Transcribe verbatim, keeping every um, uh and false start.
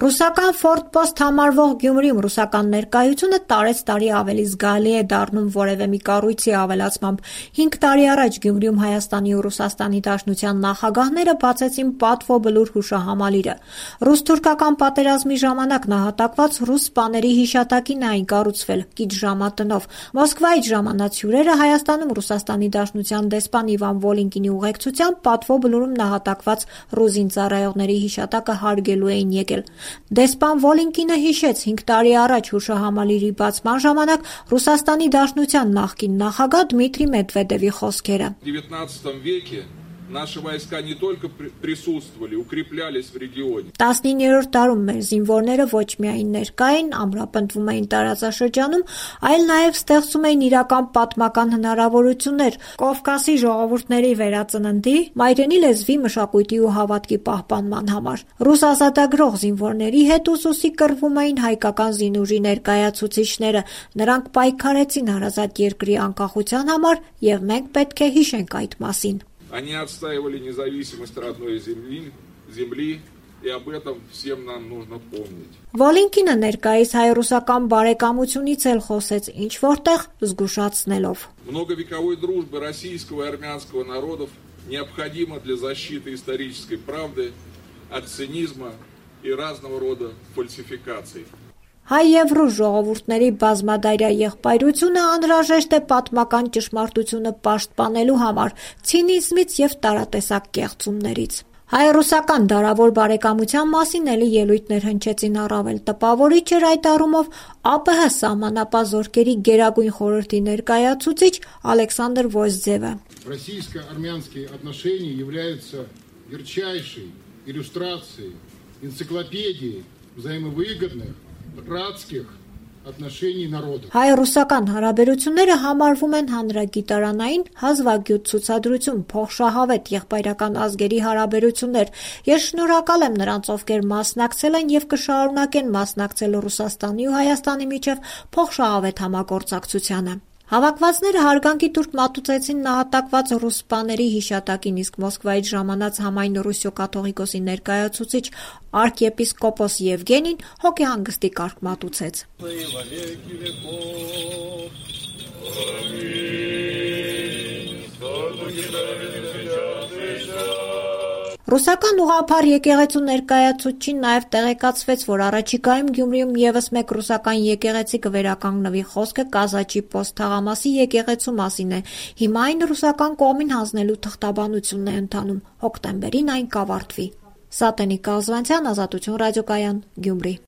Ռուսական Ֆորտպոստ համարվող Գյումրիում ռուսական ներկայությունը տարեց տարի ավելի զգալի է դառնում որևէ մի կառույցի ավելացմամբ։ Հինգ տարի առաջ Գյումրիում Հայաստանի ու Ռուսաստանի Դաշնության նախագահները բացեցին Պատվո բլուր հուշահամալիրը։ Ռուս-թուրքական պատերազմի ժամանակ նահատակված ռուս սպաների հիշատակին էին կառուցվել կից ժամատնով։ Մոսկվայից ժամանած հյուրերը Հայաստանում Ռուսաստանի Դաշնության դեսպան Իվան Վոլինկինի ուղեկցությամբ Պատվո բլուրում նահատակված ռուս զինծառայողների հիշատակը հարգելու էին եկել։ Դեսպան Վոլինկինը հիշեց հինգ տարի առաջ հուշահամալիրի բացման ժամանակ Ռուսաստանի Դաշնության նախկին նախագահ Դմիտրի Մեդվեդևի խոսքերը։ Наши войска не только присутствовали, укреплялись в регионе. տասնիններորդ դարում մեր զինվորները ոչ միայն ներկա էին, ամրապնդվում էին տարածաշրջանում, այլ նաև ստեղծում էին իրական պատմական հնարավորություններ Կովկասի ժողովուրդների վերածննդի, մայրենի լեզվի, մշակույթի ու հավատքի պահպանման համար։ Ռուս ազատագրող զինվորների հետ ուսուսի կռվում էին հայկական զինուժի ներկայացուցիչները, նրանք պայքարեցին հարազատ երկրի անկախության համար, եւ մենք պետք է հիշենք այդ մասին։ Они отстаивали независимость родной земли, земли, и об этом всем нам нужно помнить. Վոլինկինը ներկայիս հայ-ռուսական բարեկամությունից էլ խոսեց ինչ որտեղ զգուշացնելով. Многовековой дружбы российского и армянского народов необходима для защиты исторической правды от цинизма и разного рода фальсификаций. Հայ եւ ռուս ժողովուրդների բազմադայրյա եղբայրությունը անհրաժեշտ է պատմական ճշմարտությունը պաշտպանելու համար, ցինիզմից եւ տարատեսակ կեղծումներից։ Հայ-ռուսական դարավոր բարեկամության մասին էլի ելույթներ հնչեցին առավել տպավորիչ էր այդ առումով ԱՊՀ սահմանապահ զորքերի գերագույն խորհրդի ներկայացուցիչ Ալեքսանդր Ոզձևը։ Российско-армянские отношения являются ярчайшей иллюстрацией энциклопедии взаимовыгодных братских отношений народов. Հայ-ռուսական հարաբերությունները համարվում են հանրագիտարանային հազվագյուտ ցուցադրություն, փոխշահավետ եղբայրական ազգերի հարաբերություններ։ Ես շնորհակալ եմ նրանց, ովքեր մասնակցել են եւ կշարունակեն մասնակցել Ռուսաստանի ու Հայաստանի միջև փոխշահավետ համագործակցությանը։ Հավաքվածները հարգանքի տուրք մատուցեցին նահատակված ռուս սպաների հիշատակին, իսկ Մոսկվայից ժամանած համայն Ռուսիո կաթողիկոսի ներկայացուցիչ արքեպիսկոպոս Եվգենին հոգեհանգստի կարգ մատուցեց։ Ռուսական ուղղափառ եկեղեցու ներկայացուցչին նաև տեղեկացվեց, որ առաջիկայում Գյումրիում ևս մեկ ռուսական եկեղեցի կվերականգնվի, խոսքը Կազաչի Պոստ թաղամասի եկեղեցու մասին է։ Հիմա այն ռուսական կողմին հանձնելու թղթաբանությունն է ընթանում, հոկտեմբերին այն կավարտվի։ Սատենիկ Կազվանցյան, Ազատություն ռադիոկայան, Գյումրի։